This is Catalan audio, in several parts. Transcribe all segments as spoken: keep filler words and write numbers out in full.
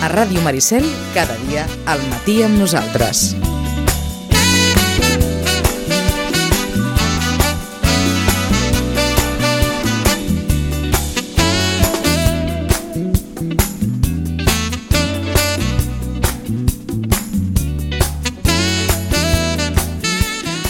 A Ràdio Maricel, cada dia al matí amb nosaltres.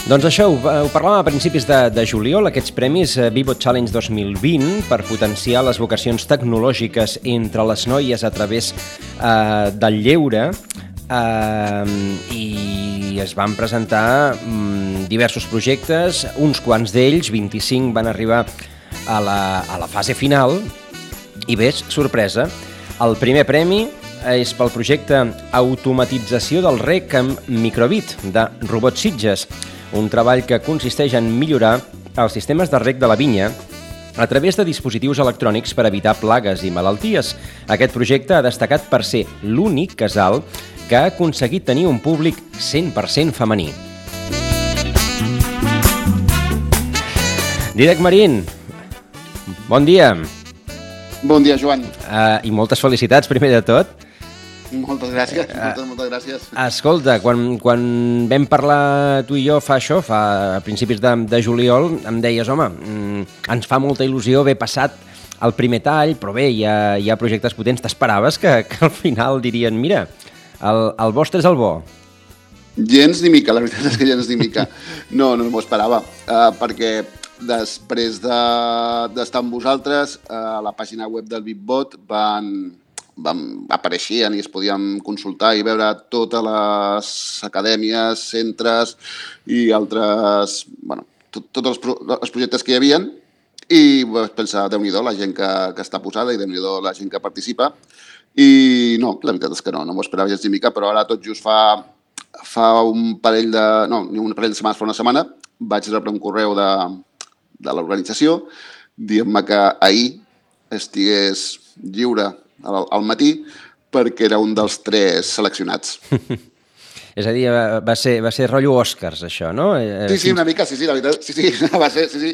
Doncs això, ho, ho parlàvem a principis de, de juliol, aquests premis eh, ViVo Challenge dos mil vint per potenciar les vocacions tecnològiques entre les noies a través eh, del lleure eh, i es van presentar mm, diversos projectes, uns quants d'ells, vint-i-cinc, van arribar a la, a la fase final i ves, sorpresa, el primer premi és pel projecte Automatització del rec amb microbit de Robots Sitges, un treball que consisteix en millorar els sistemes de rec de la vinya a través de dispositius electrònics per evitar plagues i malalties. Aquest projecte ha destacat per ser l'únic casal que ha aconseguit tenir un públic cent per cent femení. Dídac Marín, bon dia. Bon dia, Joan. Uh, I moltes felicitats, primer de tot. Moltes gràcies, moltes, moltes gràcies. Escolta, quan, quan vam parlar tu i jo fa això, fa a principis de, de juliol, em deies, home, mm, ens fa molta il·lusió haver passat el primer tall, però bé, hi ha, hi ha projectes potents. T'esperaves que, que al final dirien, mira, el, el vostre és el bo? Gens ni mica, la veritat és que gens ni mica. No, no m'ho esperava, uh, perquè després de, d'estar amb vosaltres, uh, a la pàgina web del VipBot van... Vam, apareixien i es podien consultar i veure totes les acadèmies, centres i altres, bueno, tot, tots els, pro, els projectes que hi havia i vaig pensar, Déu-n'hi-do la gent que, que està posada i Déu-n'hi-do la gent que participa i no, la veritat és que no, no m'ho esperava gens ni mica, però ara tot just fa, fa un parell de, no, un parell de setmanes, fa una setmana, vaig rebre un correu de, de l'organització dient-me que ahir estigués lliure al, al matí perquè era un dels tres seleccionats. És a dir, va ser, va ser rotllo Oscars, això, no? Sí, sí, una mica, sí, sí, la veritat, sí, sí, va ser, sí, sí.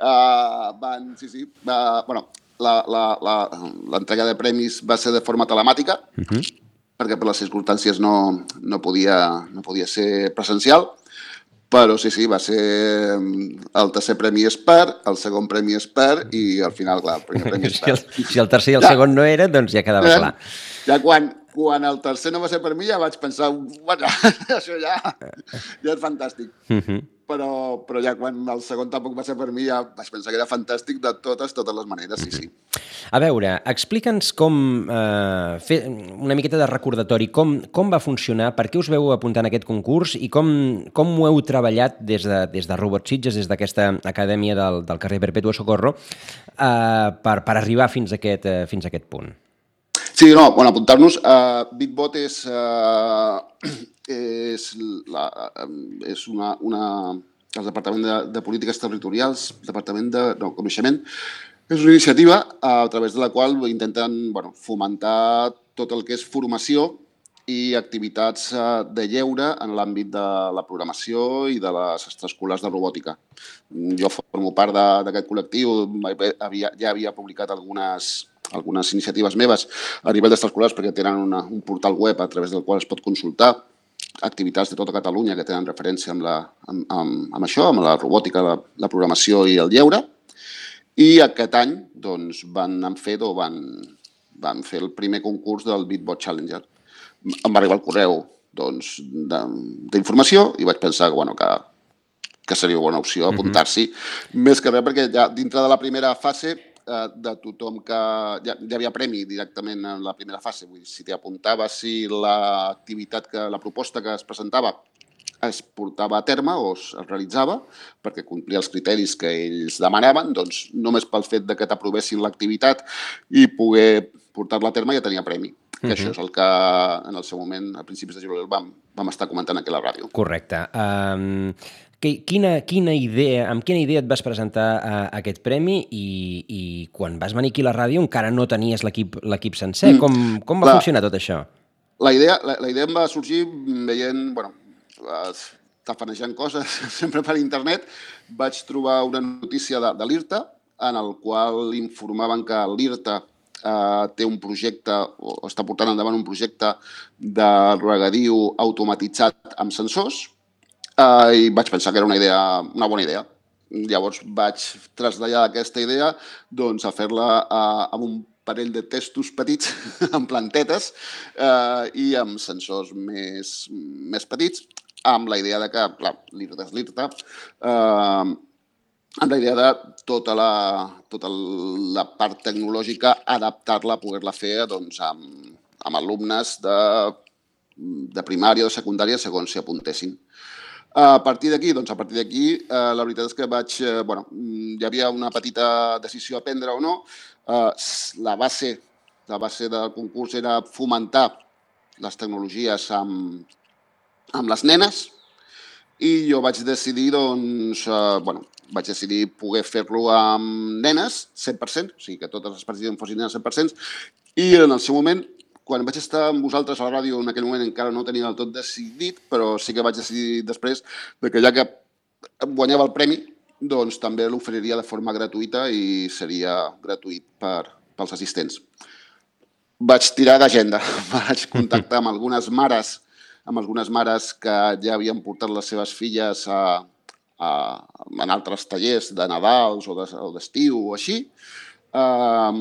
Uh, van, sí, sí, va, bueno, l'entrega de premis va ser de forma telemàtica, uh-huh. perquè per les circumstàncies no, no, podia, no podia ser presencial, però sí, sí, va ser el tercer premi és per, el segon premi és per i al final, clar, el primer premi és per. Si el, si el tercer i el ja. segon no era, doncs ja quedava clar. Ja quan, quan el tercer no va ser per mi ja vaig pensar, bueno, això ja, ja és fantàstic. Uh-huh. Però, però ja quan el segon tampoc va ser per mi ja vaig pensar que era fantàstic de totes, totes les maneres, sí, sí. A veure, explica'ns com, eh, fer una miqueta de recordatori, com, com va funcionar, per què us veu apuntar en aquest concurs i com, com ho heu treballat des de, des de Robots Sitges, des d'aquesta acadèmia del, del carrer Perpetuo Socorro, eh, per, per arribar fins a aquest, eh, fins a aquest punt. Sí, no, bueno, apuntar-nos. Uh, VipBot és, uh, és, la, és una, una, el Departament de, de Polítiques Territorials, Departament de no, Coneixement, és una iniciativa uh, a través de la qual intenten bueno, fomentar tot el que és formació i activitats uh, de lleure en l'àmbit de la programació i de les extraescolars de robòtica. Jo formo part d'aquest col·lectiu, havia, ja havia publicat algunes... algunes iniciatives meves a nivell d'extraescolars perquè tenen una, un portal web a través del qual es pot consultar activitats de tota Catalunya que tenen referència amb, la, amb, amb, amb això, amb la robòtica, la, la programació i el lleure. I aquest any doncs, van fer o van, van fer el primer concurs del VipBot Challenger. Em va arribar el correu doncs, d'informació i vaig pensar bueno, que, que seria una opció apuntar-s'hi. Mm-hmm. Més que res perquè ja dintre de la primera fase de tothom que... Ja, ja havia premi directament en la primera fase. Vull dir, si t'hi apuntaves, si l'activitat, que la proposta que es presentava es portava a terme o es realitzava, perquè complia els criteris que ells demanaven, doncs només pel fet de que t'aprovessin l'activitat i poder portar-la a terme ja tenia premi. Que uh-huh. Això és el que en el seu moment, a principis de juliol, vam, vam estar comentant aquí a la ràdio. Correcte. Um... Quina, quina idea, amb quina idea et vas presentar a, a aquest premi i, i quan vas venir aquí a la ràdio encara no tenies l'equip l'equip sencer? Mm, com, com va la, funcionar tot això? La idea, la, la idea em va sorgir veient, bueno, tafanejant coses sempre per internet. Vaig trobar una notícia de, de l'IRTA en el qual informaven que l'IRTA eh, té un projecte, o està portant endavant un projecte de regadiu automatitzat amb sensors, eh, i vaig pensar que era una idea, una bona idea. Llavors vaig traslladar aquesta idea doncs, a fer-la eh, amb un parell de testos petits, amb plantetes eh, i amb sensors més, més petits, amb la idea de que, clar, l'IRTA és l'IRTA, eh, amb la idea de tota la, tota la part tecnològica, adaptar-la, poder-la fer doncs, amb, amb alumnes de, de primària o de secundària, segons s'hi apuntessin. A partir d'aquí, doncs a partir d'aquí, eh, la veritat és que vaig, eh, bueno, hi havia una petita decisió a prendre o no. Eh, la base, la base del concurs era fomentar les tecnologies amb, amb les nenes i jo vaig decidir, doncs, eh, bueno, vaig decidir poder fer-lo amb nenes, cent per cent, o sigui que totes les participants fossin nenes cent per cent, i en el seu moment, quan vaig estar amb vosaltres a la ràdio, en aquell moment encara no ho tenia del tot decidit, però sí que vaig decidir després que ja que guanyava el premi, doncs també l'oferiria de forma gratuïta i seria gratuït per, pels assistents. Vaig tirar d'agenda, vaig contactar amb algunes mares, amb algunes mares que ja havien portat les seves filles a, a, en altres tallers de Nadals o d'estiu o així. Uh,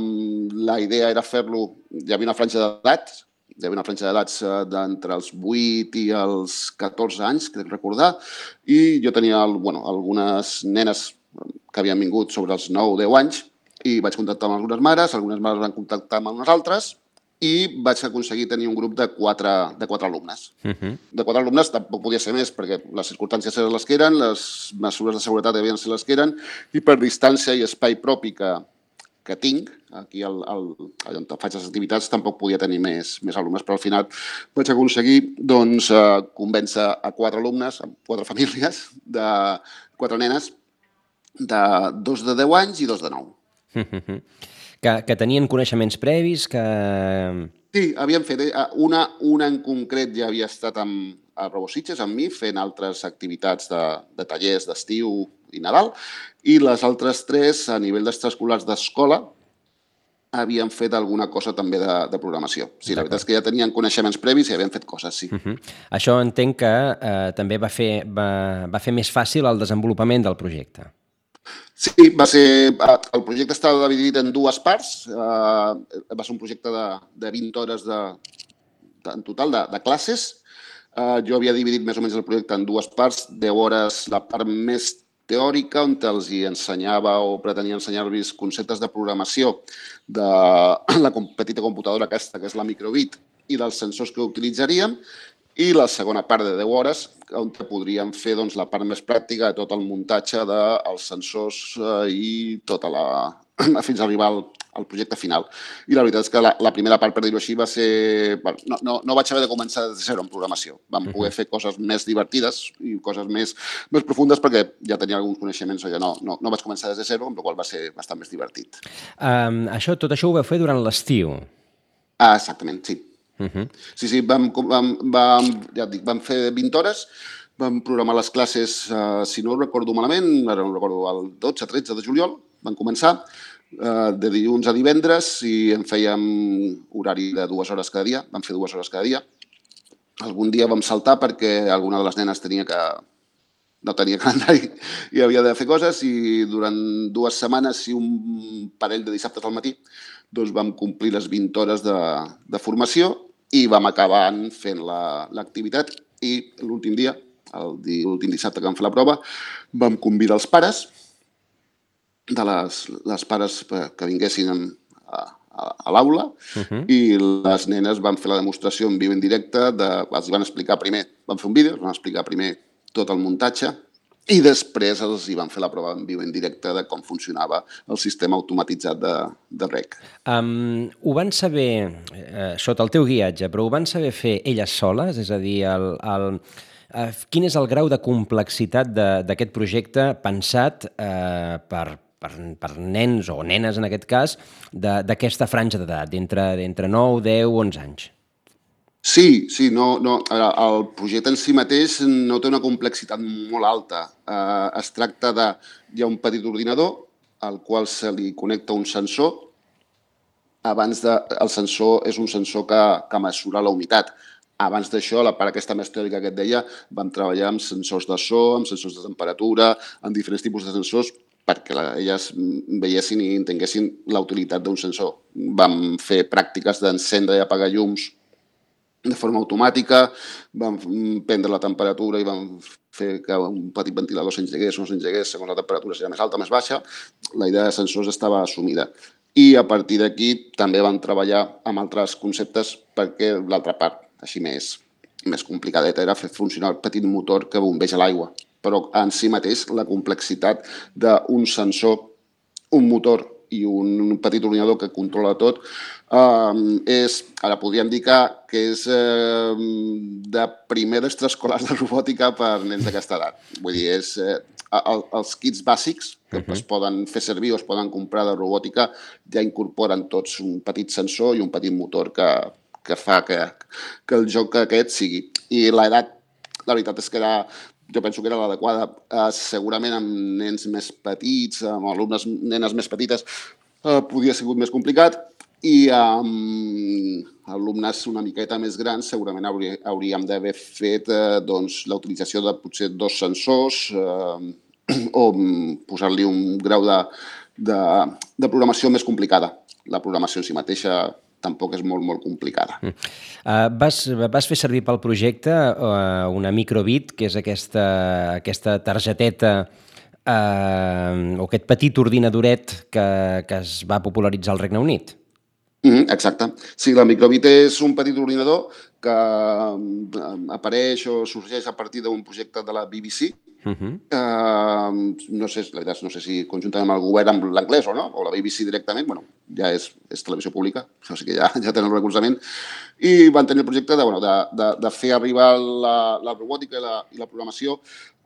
la idea era fer-lo, hi havia una franja d'edats, hi havia una franja d'edats d'entre els vuit i els catorze anys, crec recordar, i jo tenia bueno, algunes nenes que havien vingut sobre els nou o deu anys i vaig contactar amb algunes mares, algunes mares van contactar amb unes altres i vaig aconseguir tenir un grup de quatre, de quatre alumnes. Uh-huh. De quatre alumnes tampoc podia ser més perquè les circumstàncies eren les que eren, les mesures de seguretat devien ser les que eren i per distància i espai propi que que tinc, aquí al, al, on faig les activitats, tampoc podia tenir més, més alumnes, però al final vaig aconseguir doncs, eh, convèncer a quatre alumnes, a quatre famílies, de quatre nenes, de dos de deu anys i dos de nou. Que, que tenien coneixements previs, que... Sí, havien fet. Una, una en concret ja havia estat amb, a Robositges, amb mi, fent altres activitats de, de tallers d'estiu i Nadal, i les altres tres, a nivell d'extraescolars d'escola, havien fet alguna cosa també de, de programació. Sí, la veritat és que ja tenien coneixements previs i havien fet coses, sí. Uh-huh. Això entenc que eh, també va fer, va, va fer més fàcil el desenvolupament del projecte. Sí, va ser, el projecte estava dividit en dues parts. Eh, va ser un projecte de, de vint hores de, de, en total de, de classes. Eh, jo havia dividit més o menys el projecte en dues parts, deu hores la part més teòrica, on els hi ensenyava o pretenia ensenyar-los conceptes de programació de la petita computadora aquesta, que és la microbit, i dels sensors que utilitzaríem, i la segona part de deu hores, on podríem fer doncs, la part més pràctica de tot el muntatge dels sensors eh, i tota la... fins a arribar al, al projecte final. I la veritat és que la, la primera part, per dir-ho així, va ser... Bueno, no, no, no vaig haver de començar de zero en programació. Vam poder fer coses més divertides i coses més, més profundes perquè ja tenia alguns coneixements, o ja no, no, no vaig començar des de zero, amb la qual va ser bastant més divertit. Um, això, tot això ho vau fer durant l'estiu? Ah, exactament, sí. Uh-huh. Sí, sí, vam, vam, vam, ja dic, vam fer vint hores, vam programar les classes, eh, si no ho recordo malament, ara no recordo, el dotze tretze de juliol, van començar, eh, de dilluns a divendres, i en fèiem horari de dues hores cada dia, vam fer dues hores cada dia. Algun dia vam saltar perquè alguna de les nenes tenia que... no tenia calendari i havia de fer coses, i durant dues setmanes i un parell de dissabtes al matí doncs vam complir les vint hores de, de formació i vam acabar fent l'activitat la, i l'últim dia, l'últim dissabte que vam fer la prova, vam convidar els pares de les, les pares que vinguessin a, a, a l'aula uh-huh. i les nenes van fer la demostració en viu en directe, de, els van explicar primer, van fer un vídeo, els van explicar primer tot el muntatge i després els hi van fer la prova en viu en directe de com funcionava el sistema automatitzat de, de rec. Um, ho van saber, eh, sota el teu guiatge, però ho van saber fer elles soles? És a dir, el, el, eh, quin és el grau de complexitat d'aquest projecte pensat eh, per, per, per nens o nenes, en aquest cas, d'aquesta franja d'edat, d'entre nou, deu, onze anys? Sí, sí, no, no, el projecte en si mateix no té una complexitat molt alta. Eh, es tracta de... Hi ha un petit ordinador al qual se li connecta un sensor abans de, el sensor és un sensor que, que mesura la humitat. Abans d'això, la part aquesta més teòrica que et deia, vam treballar amb sensors de so, amb sensors de temperatura, amb diferents tipus de sensors, perquè elles veiessin i entenguessin la utilitat d'un sensor. Vam fer pràctiques d'encendre i apagar llums de forma automàtica, vam prendre la temperatura i vam fer que un petit ventilador s'engegués o no s'engegués segons la temperatura, si era més alta o més baixa. La idea de sensors estava assumida. I a partir d'aquí també vam treballar amb altres conceptes perquè l'altra part, així més, més complicadeta, era fer funcionar el petit motor que bombeja l'aigua. Però en si mateix la complexitat d'un sensor, un motor i un petit ordinador que controla tot, eh, és, ara podríem dir que, que és eh, de primer d'extraescolars de robòtica per nens d'aquesta edat. Vull dir, és, eh, el, els kits bàsics que uh-huh. es poden fer servir o es poden comprar de robòtica ja incorporen tots un petit sensor i un petit motor que, que fa que, que el joc aquest sigui. I l'edat, la veritat és que era... Jo penso que era l'adequada, eh, segurament amb nens més petits, amb alumnes, nenes més petites, eh, podia ser més complicat, i amb alumnes una miqueta més grans segurament haurí, hauríem d'haver fet eh, doncs, la utilització de potser dos sensors eh, o posar-li un grau de, de, de programació més complicada. La programació en si mateixa tampoc és molt, molt complicada. Mm. Uh, vas, vas fer servir pel projecte uh, una microbit, que és aquesta, aquesta targeteta uh, o aquest petit ordinadoret que, que es va popularitzar al Regne Unit. Mm, exacte. Sí, la microbit és un petit ordinador que apareix o sorgeix a partir d'un projecte de la B B C. Uh-huh. Uh, no sé, la veritat, no sé si conjuntament amb el govern amb l'anglès o no, o la B B C directament, bueno, ja és, és televisió pública, o sigui que ja, ja tenen el recolzament, i van tenir el projecte de, bueno, de, de, de fer arribar la, la robòtica i la, i la programació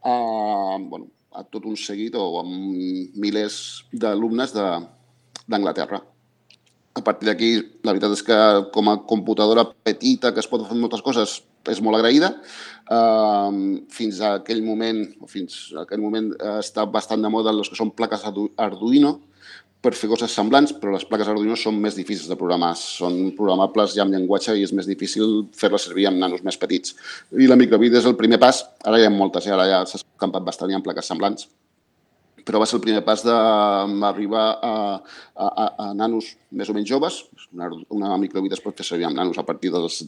a, bueno, a tot un seguit o amb milers d'alumnes d'Anglaterra. A partir d'aquí, la veritat és que com a computadora petita que es pot fer moltes coses, és molt agraïda. Uh, fins a aquell moment, o fins a aquell moment uh, està bastant de moda els que són plaques Arduino per fer coses semblants, però les plaques Arduino són més difícils de programar, són programables ja amb llenguatge i és més difícil fer-les servir amb nanos més petits. I la microbit és el primer pas, ara hi ha moltes, eh? Ara ja s'ha escampat bastant i amb plaques semblants, però va ser el primer pas d'arribar a, a, a, a nanos més o menys joves. Una, una microbit es pot fer servir amb nanos a partir dels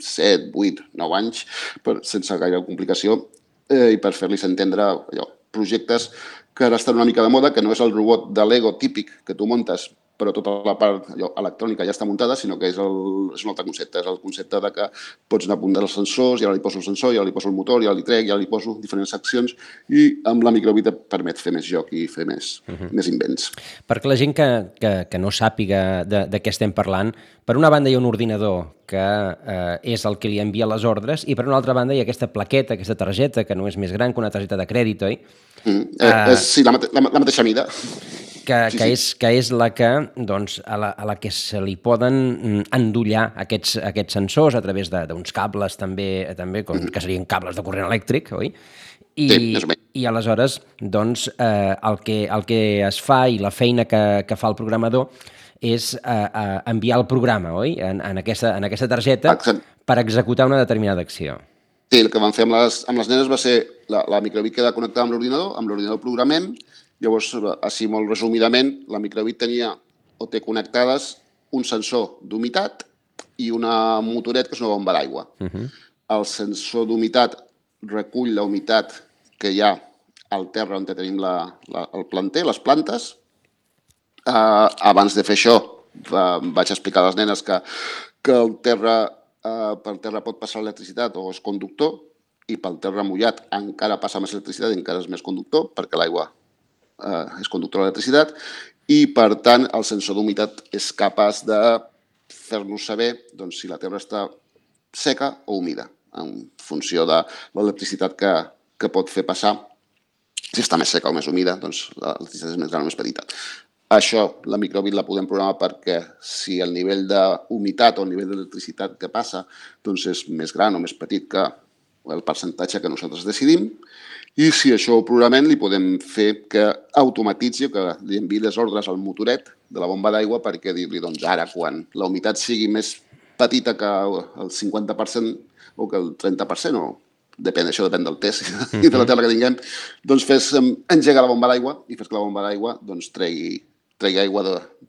set, vuit, nou anys, per, sense gaire complicació, eh, i per fer-los entendre allò, projectes que ara estan una mica de moda, que no és el robot de Lego típic que tu muntes, però tota la part allò, electrònica ja està muntada, sinó que és, el, és un altre concepte. És el concepte de que pots anar apuntant els sensors, i ara li poso el sensor, i ara li poso el motor, i ara li trec, i ara li poso diferents seccions, i amb la microbit et permet fer més joc i fer més, uh-huh. més invents. Perquè la gent que, que, que no sàpiga de, de què estem parlant, per una banda hi ha un ordinador que eh, és el que li envia les ordres, i per una altra banda hi ha aquesta plaqueta, aquesta targeta, que no és més gran que una targeta de crèdit, oi? Mm, eh, uh, és, sí, la, mate la, la mateixa mida. Que, sí, que, sí. És, que és la que, doncs, a la, a la que se li poden endollar aquests, aquests sensors a través d'uns cables també, també com, que serien cables de corrent elèctric, oi? I, sí, i aleshores, doncs, eh, el, que, el que es fa i la feina que, que fa el programador és eh, eh, enviar el programa, oi? En, en, aquesta, en aquesta targeta Exacte. Per executar una determinada acció. Sí, el que vam fer amb les, amb les nenes va ser la, la microbit queda connectada amb l'ordinador, amb l'ordinador programem. Llavors, així molt resumidament, la microbit tenia o té connectades un sensor d'humitat i una motoret que és una bomba d'aigua. Uh-huh. El sensor d'humitat recull la humitat que hi ha al terra on tenim la, la, el planter, les plantes. Uh, abans de fer això, uh, vaig explicar a les nenes que, que el terra, uh, pel terra pot passar l'electricitat o és conductor, i pel terra mullat encara passa més electricitat i encara és més conductor, perquè l'aigua Uh, és conductor de l'electricitat, i per tant el sensor d'humitat és capaç de fer-nos saber doncs, si la terra està seca o humida, en funció de l'electricitat que, que pot fer passar. Si està més seca o més humida, doncs l'electricitat és més gran o més petita. Això, la microbit la podem programar perquè si el nivell d'humitat o el nivell d'electricitat que passa doncs és més gran o més petit que el percentatge que nosaltres decidim, I si això ho programem, li podem fer que automatitzi o que li enviï les ordres al motoret de la bomba d'aigua perquè dir-li, doncs ara, quan la humitat sigui més petita que el cinquanta per cent o que el trenta per cent, o depèn, això depèn del test i de la terra que tinguem, doncs fes engegar la bomba d'aigua i fes que la bomba d'aigua doncs, tregui, tregui aigua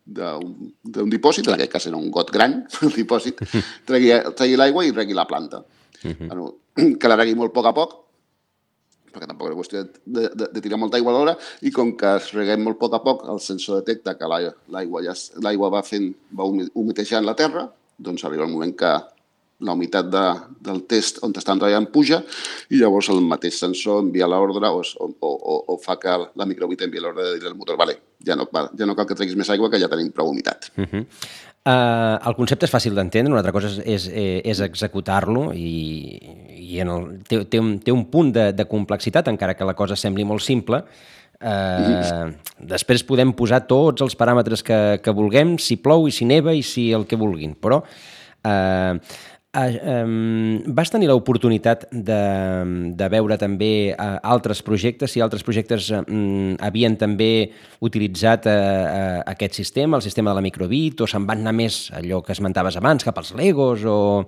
d'un dipòsit, en aquest cas era un got gran, el dipòsit, tregui, tregui l'aigua i regui la planta. Uh-huh. Bueno, que la regui molt a poc a poc, perquè tampoc és qüestió de, de, de tirar molta aigua a l'hora, i com que es reguem molt a poc a poc, el sensor detecta que l'aigua ja, l'aigua va fent, va humitejant la terra, doncs arriba el moment que la humitat de, del test on estan treballant puja i llavors el mateix sensor envia l'ordre o, o, o, o fa que la microbit envia l'ordre de dir al motor, vale, ja no, ja no cal que treguis més aigua, que ja tenim prou humitat. Uh-huh. Uh, el concepte és fàcil d'entendre, una altra cosa és, és, és executar-lo i, i en el, té, té, un, té un punt de, de complexitat, encara que la cosa sembli molt simple. Uh, després podem posar tots els paràmetres que, que vulguem, si plou i si neva i si el que vulguin, però uh, uh, um, vas tenir l'oportunitat de, de veure també uh, altres projectes, si altres projectes um, havien també utilitzat uh, uh, aquest sistema, el sistema de la microbit, o se'n van anar més allò que esmentaves abans, cap als Legos, o...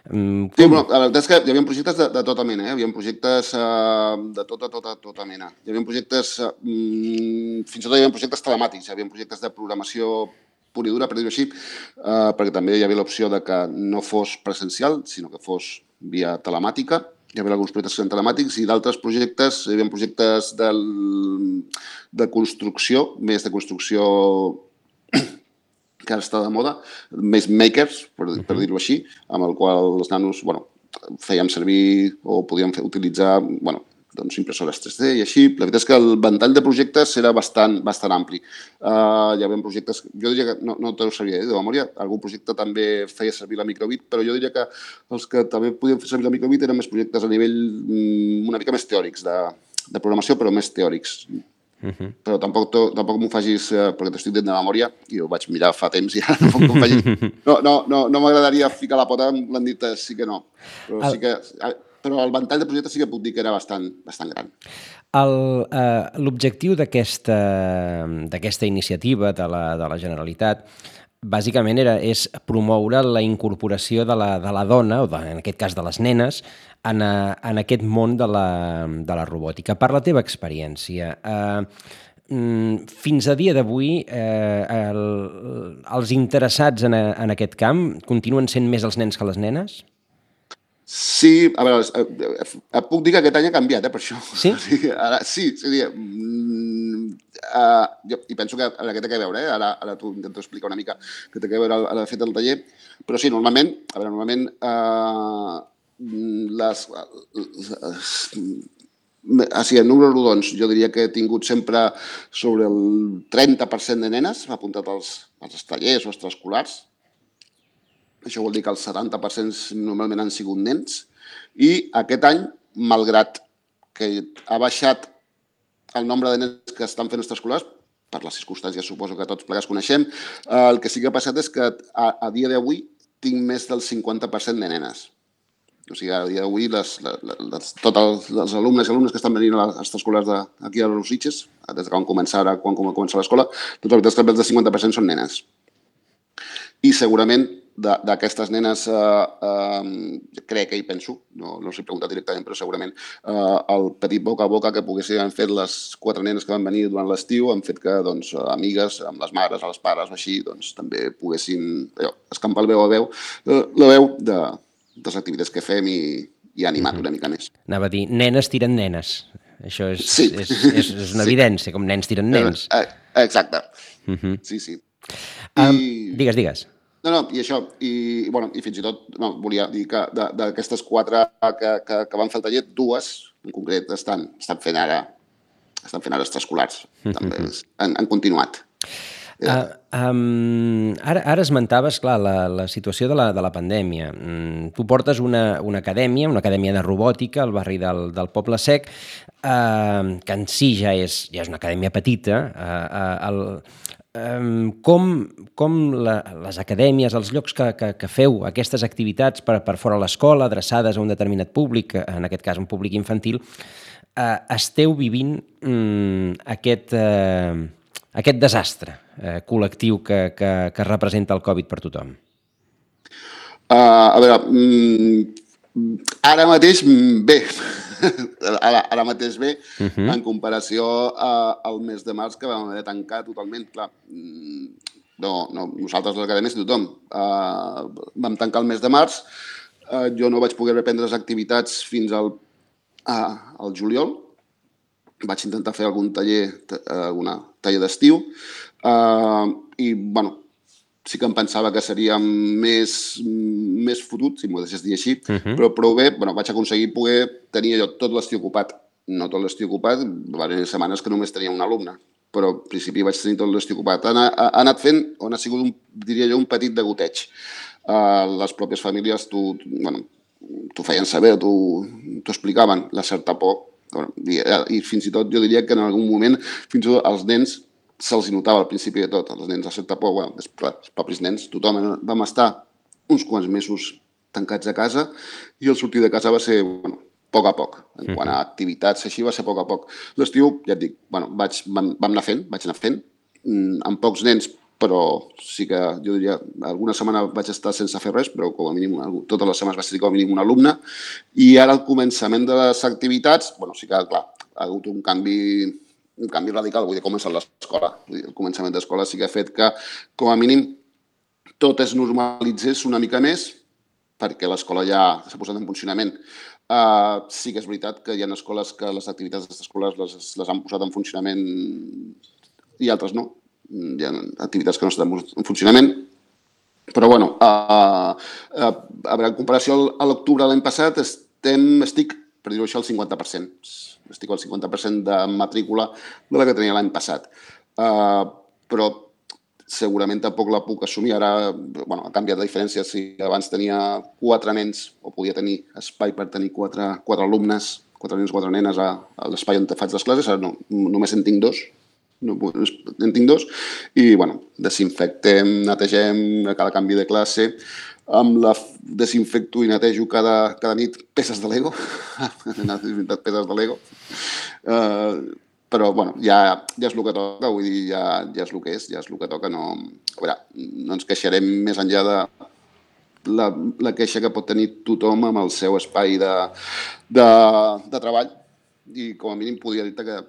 Um, sí, bueno, la veritat és que hi havia projectes de, de tota mena, eh? Hi havia projectes uh, de tota, tota, tota mena. Hi havia projectes, uh, fins i tot hi havia projectes telemàtics, hi havia projectes de programació pura i dura, per dir-ho així, uh, perquè també hi havia l'opció de que no fos presencial, sinó que fos via telemàtica. Hi havia alguns projectes que eren telemàtics i d'altres projectes, hi havia projectes del, de construcció, més de construcció que ara està de moda, més makers, per, per dir-ho així, amb el qual els nanos bueno, fèiem servir o podíem fer, utilitzar bueno, doncs, impressores tres D i així. La veritat és que el ventall de projectes era bastant, bastant ampli. Uh, hi havia projectes, jo diria que, no, no te ho sabia dir de memòria, algun projecte també feia servir la microbit, però jo diria que els que també podien fer servir la microbit eren més projectes a nivell um, una mica més teòrics, de, de programació, però més teòrics. Uh-huh. Però tampoc, tampoc m'ho facis, eh, perquè t'estic dient de memòria, i ho vaig mirar fa temps i ara no m'ho facis. No, no, no, no m'agradaria ficar la pota, m'han dit sí que no. Però, el... sí que, però el ventall de projectes sí que puc dir que era bastant, bastant gran. Uh, L'objectiu d'aquesta d'aquesta iniciativa de la, de la Generalitat bàsicament era, és promoure la incorporació de la, de la dona, o de, en aquest cas de les nenes, en, a, en aquest món de la, de la robòtica. Per la teva experiència, eh, fins a dia d'avui, eh, el, els interessats en, a, en aquest camp continuen sent més els nens que les nenes? Sí, a veure, eh, puc dir que aquest any ha canviat, eh, per això. Sí? Ara, sí, sí, mm, uh, jo, i penso que ara que té que veure, eh? ara, ara t'ho intento explicar una mica, que té que veure el, el fet del taller, però sí, normalment, a veure, normalment, uh, les, les, així, en números rodons, jo diria que he tingut sempre sobre el trenta per cent de nenes apuntat als, als tallers o extraescolars. Això vol dir que el setanta per cent normalment han sigut nens. I aquest any, malgrat que ha baixat el nombre de nens que estan fent extraescolars, per les circumstàncies suposo que tots plegats coneixem, el que sí que ha passat és que a, a dia d'avui tinc més del cinquanta per cent de nenes. O sigui, a dia d'avui, les, les, tots els, els alumnes i alumnes que estan venint a les extraescolars d'aquí a les Sitges, des que van començar ara, quan començar l'escola, doncs la veritat és que més del cinquanta per cent són nenes. I segurament d'aquestes nenes, eh, eh, crec que hi penso, no, no us he preguntat directament, però segurament eh, el petit boca a boca que poguessin fer les quatre nenes que van venir durant l'estiu han fet que doncs, amigues amb les mares, els pares o així, doncs, també poguessin allò, escampar el veu a veu, la veu de, de les activitats que fem i, i animar una mica més. Anava a dir, nenes tiren nenes. Això és, sí. és, és, és una evidència, com nens tiren nens. Exacte. Uh-huh. Sí, sí. Um, I... Digues, digues. No, no, i això, i, bueno, i fins i tot, no, volia dir que d'aquestes quatre que, que, que van fer el taller, dues, en concret, estan, estan fent ara, estan fent ara extraescolars, també han, han continuat. Uh, um, ara, ara esmentaves, clar, la, la situació de la, de la pandèmia. Mm, tu portes una, una acadèmia, una acadèmia de robòtica al barri del, del Poble Sec, uh, que en si ja és, ja és una acadèmia petita. Uh, uh, el, um, com com la, les acadèmies, els llocs que, que, que feu aquestes activitats per, per fora de l'escola, adreçades a un determinat públic, en aquest cas un públic infantil, eh, esteu vivint mm, aquest, eh, aquest desastre eh, col·lectiu que, que, que representa el Covid per tothom? Uh, a veure, mm, ara mateix bé, ara, ara mateix bé, uh -huh. en comparació uh, al mes de març que vam haver de tancar totalment, clar, no, no, nosaltres a l'acadèmia és tothom, uh, vam tancar el mes de març, uh, jo no vaig poder reprendre les activitats fins al, uh, al juliol, vaig intentar fer algun taller, alguna taller d'estiu, uh, i, bueno, sí que em pensava que seria més, més fotut, si m'ho deixés dir així, uh -huh. però prou bé, bueno, vaig aconseguir poder tenir allò tot l'estiu ocupat. No tot l'estiu ocupat, va haver setmanes que només tenia un alumne, però al principi vaig tenir tot l'estiu ocupat. Ha, ha, ha anat fent, on ha sigut, un, diria jo, un petit degoteig. Uh, les pròpies famílies t'ho bueno, feien saber, t'ho explicaven, la certa por, i, i fins i tot jo diria que en algun moment fins i tot els nens se'ls notava al principi de tot, els nens a certa por, bueno, després, els propis nens, tothom vam estar uns quants mesos tancats a casa i el sortir de casa va ser, bueno, a poc a poc. En quant a activitats, així va ser a poc a poc. L'estiu, ja et dic, bueno, vaig, vam, vam anar fent, vaig anar fent, amb pocs nens, però sí que jo diria, alguna setmana vaig estar sense fer res, però com a mínim, totes les setmanes vaig tenir com a mínim un alumne, i ara al començament de les activitats, bueno, sí que, clar, ha hagut un canvi un canvi radical, vull dir, començar l'escola. El començament d'escola sí que ha fet que, com a mínim, tot es normalitzés una mica més, perquè l'escola ja s'ha posat en funcionament. Uh, sí que és veritat que hi ha escoles que les activitats escolars les, les han posat en funcionament i altres no. Hi ha activitats que no estan en funcionament, però, bueno, uh, uh, a veure, en comparació a l'octubre de l'any passat, estem, estic, per dir-ho això, al cinquanta per cent. Estic al cinquanta per cent de matrícula de la que tenia l'any passat. Uh, però segurament tampoc la puc assumir. Ara, bueno, ha canviat la diferència. Si abans tenia quatre nens o podia tenir espai per tenir quatre, quatre alumnes, quatre nens, quatre nenes a, a l'espai on faig les classes, ara no, només en tinc dos. No, en tinc dos. I, bueno, desinfectem, netegem a cada canvi de classe. Amb la desinfecto i netejo cada, cada nit peces de Lego. He desinfectat peces de Lego. Uh, però, bueno, ja, ja és el que toca, vull dir, ja, ja és el que és, ja és el que toca. No, a veure, no ens queixarem més enllà de la, la queixa que pot tenir tothom amb el seu espai de, de, de treball i, com a mínim, podria dir-te que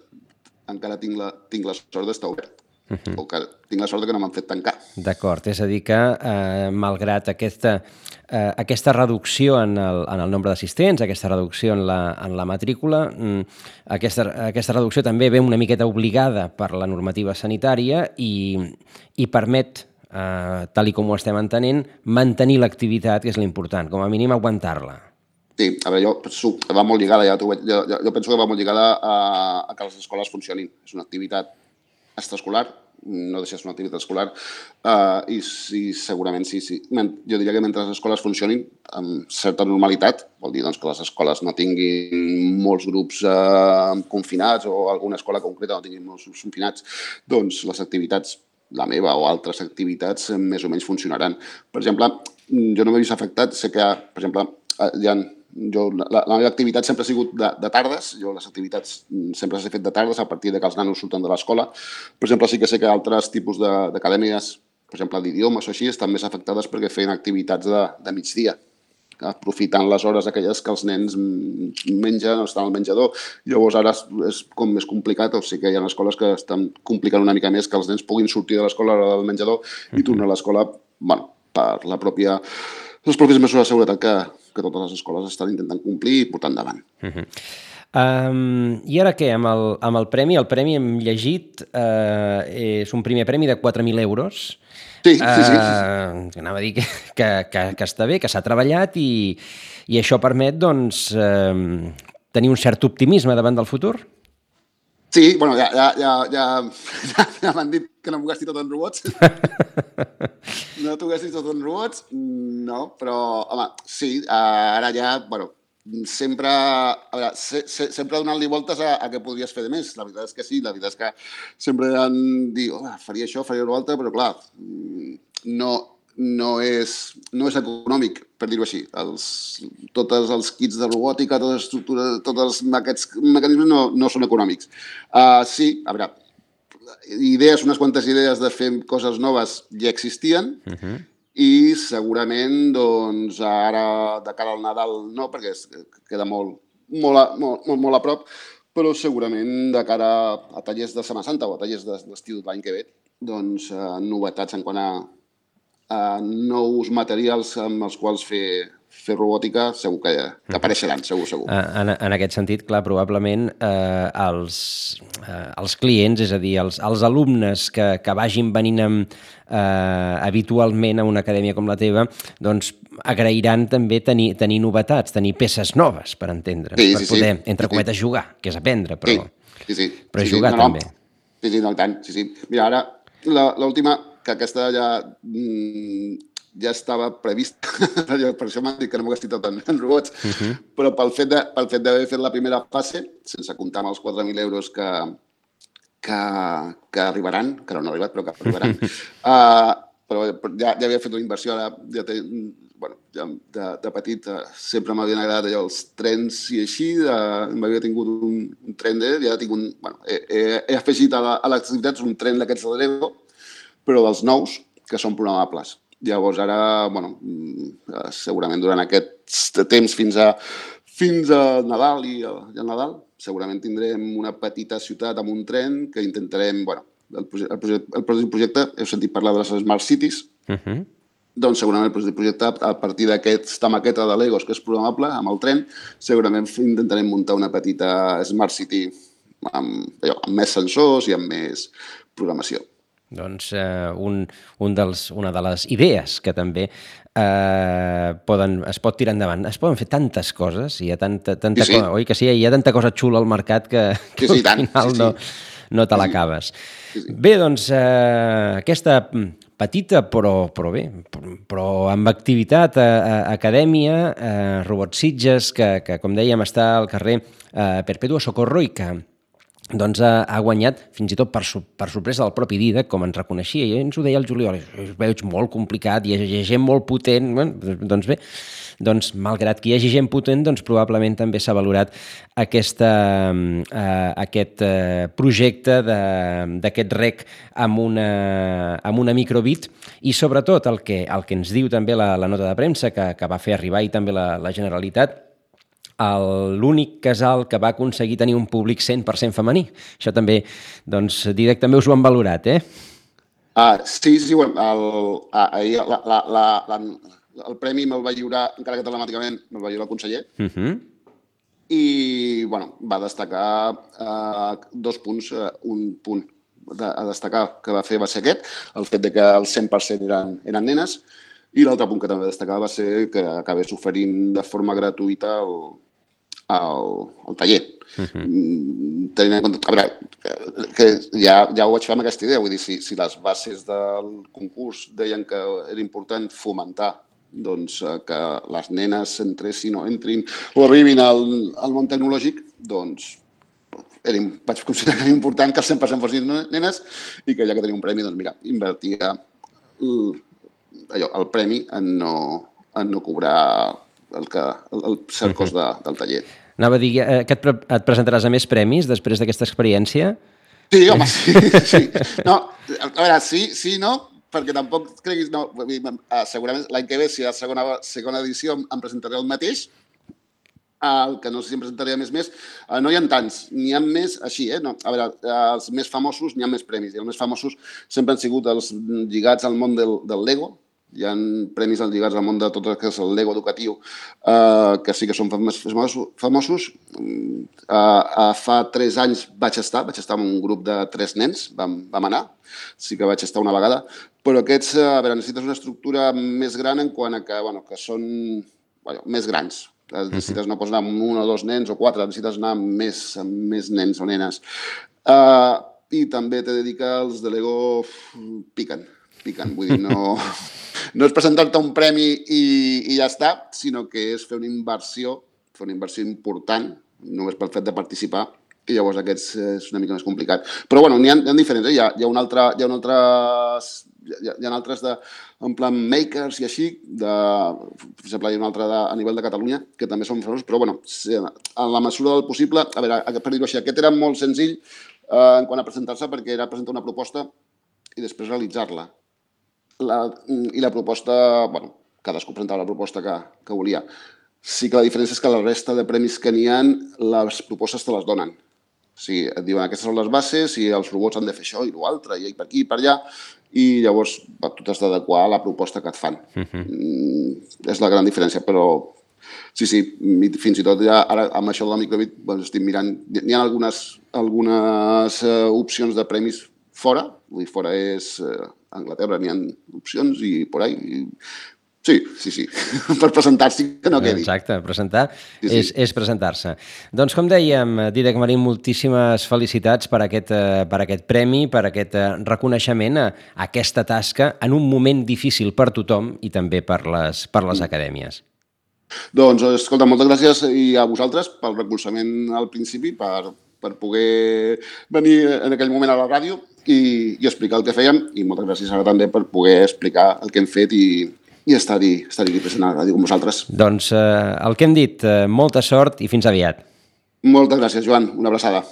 encara tinc la, tinc la sort d'estar obert. Uh-huh. O que tinc la sort que no m'han fet tancar. D'acord, és a dir que, eh, malgrat aquesta, eh, aquesta reducció en el, en el nombre d'assistents, aquesta reducció en la, en la matrícula, mm, aquesta, aquesta reducció també ve una miqueta obligada per la normativa sanitària i, i permet, eh, tal i com ho estem entenent, mantenir l'activitat, que és l'important, com a mínim aguantar-la. Sí, a veure, jo va molt lligada, ja jo, jo, jo penso que va molt lligada a, a que les escoles funcionin. És una activitat extraescolar, no deixa de ser una activitat escolar, uh, i sí, segurament sí, sí. Jo diria que mentre les escoles funcionin amb certa normalitat, vol dir doncs, que les escoles no tinguin molts grups uh, confinats o alguna escola concreta no tinguin molts grups confinats, doncs les activitats, la meva o altres activitats, més o menys funcionaran. Per exemple, jo no m'he vist afectat, sé que, per exemple, hi ha Jo, la, la meva activitat sempre ha sigut de, de tardes, jo les activitats sempre les he fet de tardes a partir de que els nanos surten de l'escola. Per exemple, sí que sé que altres tipus d'acadèmies, per exemple, d'idiomes o així, estan més afectades perquè feien activitats de, de migdia, aprofitant les hores aquelles que els nens mengen o estan al menjador. Llavors ara és com més complicat, o sigui que hi ha escoles que estan complicant una mica més que els nens puguin sortir de l'escola a l'hora del menjador i tornar a l'escola, bueno, per la pròpia, les pròpies mesures de seguretat que, que totes les escoles estan intentant complir i portar endavant. Uh -huh. um, I ara què, amb el, amb el premi? El premi hem llegit, uh, és un primer premi de quatre mil euros. Sí, sí, sí. sí, sí. Uh, anava a dir que, que, que, que està bé, que s'ha treballat i, i això permet, doncs, uh, tenir un cert optimisme davant del futur? Sí, bueno, ja, ja, ja, ja, ja, ja m'han dit que no m'ho gasti tot en robots. No t'ho gastis tot en robots, no, però, home, sí, ara ja, bueno, sempre, a veure, se, se, sempre donant-li voltes a, a què podries fer de més. La veritat és que sí, la veritat és que sempre han dit, oh, faria això, faria una altra, però clar, no, no és, no és econòmic, per dir-ho així. Els, tots els kits de robòtica, totes les estructures, tots els, aquests mecanismes no, no són econòmics. Uh, sí, a veure, idees, unes quantes idees de fer coses noves ja existien, uh-huh. I segurament doncs, ara de cara al Nadal no, perquè es, queda molt, molt, a, molt, molt a prop, però segurament de cara a tallers de Setmana Santa o a tallers d'estiu de l'any que ve, doncs eh, novetats en quant a, a nous materials amb els quals fer, fer robòtica segur que, que apareixeran, segur, segur. En, en aquest sentit, clar, probablement eh, els, eh, els clients, és a dir, els, els alumnes que, que vagin venint amb, eh, habitualment a una acadèmia com la teva, doncs agrairan també tenir, tenir novetats, tenir peces noves, per entendre, sí, per sí, poder, sí. entre cometes, jugar, que és aprendre, però, sí, sí, sí. però sí, jugar sí. No, també. No. Sí, sí, no, tant, sí, sí. Mira, ara, l'última, que aquesta ja... Mm, ja estava previst, per això m'han dit que no m'ho gastit tot en, en robots, uh-huh. Però pel fet de, pel fet d'haver fet la primera fase, sense comptar amb els quatre mil euros que, que, que arribaran, que no han arribat, però que arribaran, uh, però ja, ja havia fet una inversió, ara ja té, bueno, ja de, de petit uh, sempre m'havien agradat allò, els trens i així, uh, m'havia tingut un, un tren de, ja tinc un, bueno, he, he, he afegit a, la, a les activitats un tren d'aquests de Lego, però dels nous, que són programables. Llavors ara, bueno, segurament durant aquest temps fins a, fins a Nadal i al Nadal, segurament tindrem una petita ciutat amb un tren que intentarem, bueno, el projecte, el projecte heu sentit parlar de les Smart Cities, uh-huh. Doncs segurament el projecte a partir d'aquesta maqueta de Legos que és programable amb el tren, segurament intentarem muntar una petita Smart City amb, allò, amb més sensors i amb més programació. Doncs eh, un, un dels, una de les idees que també eh, poden, es pot tirar endavant. Es poden fer tantes coses, hi ha tanta, tanta sí, sí. cosa, oi que sí? Hi ha tanta cosa xula al mercat que, que sí, sí, al final sí, sí. no, no te sí, l'acabes. Sí, sí. Bé, doncs eh, aquesta petita però, però bé, però amb activitat a, a acadèmia, eh, Robot Sitges, que, que com dèiem està al carrer eh, Perpetua Socorro i que doncs ha, ha guanyat, fins i tot per, per sorpresa del propi Dídac, com ens reconeixia, i ens ho deia el Juliol, es veig molt complicat, hi ha, hi ha gent molt potent, bueno, doncs bé, doncs malgrat que hi hagi gent potent, doncs probablement també s'ha valorat aquesta, eh, aquest eh, projecte d'aquest rec amb una, amb una microbit, i sobretot el que, el que ens diu també la, la nota de premsa que, que va fer arribar i també la, la Generalitat, l'únic casal que va aconseguir tenir un públic cent per cent femení. Això també, doncs, Dídac també us ho han valorat, eh? Uh, sí, sí, bueno, el, uh, ahir la, la, la, la, el premi me'l va lliurar, encara que telemàticament me'l va lliurar el conseller, uh-huh. I, bueno, va destacar uh, dos punts, uh, un punt de, a destacar que va fer va ser aquest, el fet de que el cent per cent eren, eren nenes, i l'altre punt que també destacava va ser que acabés oferint de forma gratuïta el, el, el taller. Uh-huh. Tenint en compte, a veure, que, que ja, ja ho vaig fer amb aquesta idea, vull dir, si, si les bases del concurs deien que era important fomentar doncs, que les nenes entressin o entrin o arribin al, al món tecnològic, doncs era, vaig considerar que era important que el cent per cent fossin nenes i que ja que tenia un premi, doncs mira, invertia el, allò, el premi en no, en no cobrar el, que, el, el cert cost de, del taller. Anava a dir eh, que et, pre et presentaràs a més premis després d'aquesta experiència? Sí, home, sí. sí. No, a veure, sí, sí, no, perquè tampoc creguis... No, segurament l'any que ve, si a la segona, segona edició em presentaré el mateix, el que no sé si em presentaré més més, no hi ha tants, n'hi ha més així, eh? No, a veure, els més famosos n'hi ha més premis, i els més famosos sempre han sigut els lligats al món del, del Lego. Hi ha premis lligats al món de tot el que és el Lego educatiu, eh, que sí que són famosos. Eh, fa tres anys vaig estar, vaig estar amb un grup de tres nens, vam, vam anar, sí que vaig estar una vegada, però aquests, a veure, necessites una estructura més gran en quant a que, bueno, que són bueno, més grans. Necessites no pots anar amb un o dos nens o quatre, necessites anar amb més, amb més nens o nenes. Eh, I també t'he de dir que els de Lego piquen. piquen, vull dir, no, no és presentar-te un premi i, i ja està, sinó que és fer una inversió, fer una inversió important, només pel fet de participar, i llavors aquests és una mica més complicat. Però bueno, n'hi ha, hi ha diferents, eh? hi, ha, hi ha un altre, hi ha un altre, hi ha, hi ha altres de, en plan makers i així, de, per exemple, hi ha un altre de, a nivell de Catalunya, que també són famosos, però bueno, en la mesura del possible, a veure, per dir-ho així, aquest era molt senzill eh, en quant a presentar-se, perquè era presentar una proposta i després realitzar-la. La, I la proposta, bueno, cadascú presentava la proposta que, que volia. Sí que la diferència és que la resta de premis que n'hi ha, les propostes te les donen. O sigui, et diuen aquestes són les bases i els robots han de fer això i l'altre, i per aquí i per allà, i llavors tu t'has d'adequar a la proposta que et fan. Uh-huh. mm, és la gran diferència, però sí, sí, fins i tot ja ara amb això de la microbit doncs, estic mirant, n'hi ha algunes, algunes uh, opcions de premis fora, vull dir, fora és uh, Anglaterra, n'hi ha opcions i por ahí, i sí, sí, sí, per presentar-s'hi que no quedi. Exacte, presentar sí, sí. és, és presentar-se. Doncs com dèiem, Dídac Marín, moltíssimes felicitats per aquest, per aquest premi, per aquest reconeixement a aquesta tasca en un moment difícil per tothom i també per les, per les acadèmies. Doncs, escolta, moltes gràcies i a vosaltres pel recolzament al principi, per, per poder venir en aquell moment a la ràdio i, i explicar el que fèiem, i moltes gràcies ara també per poder explicar el que hem fet i i estar-hi estar present a la ràdio com vosaltres. Doncs eh, el que hem dit, eh, molta sort i fins aviat. Moltes gràcies, Joan. Una abraçada.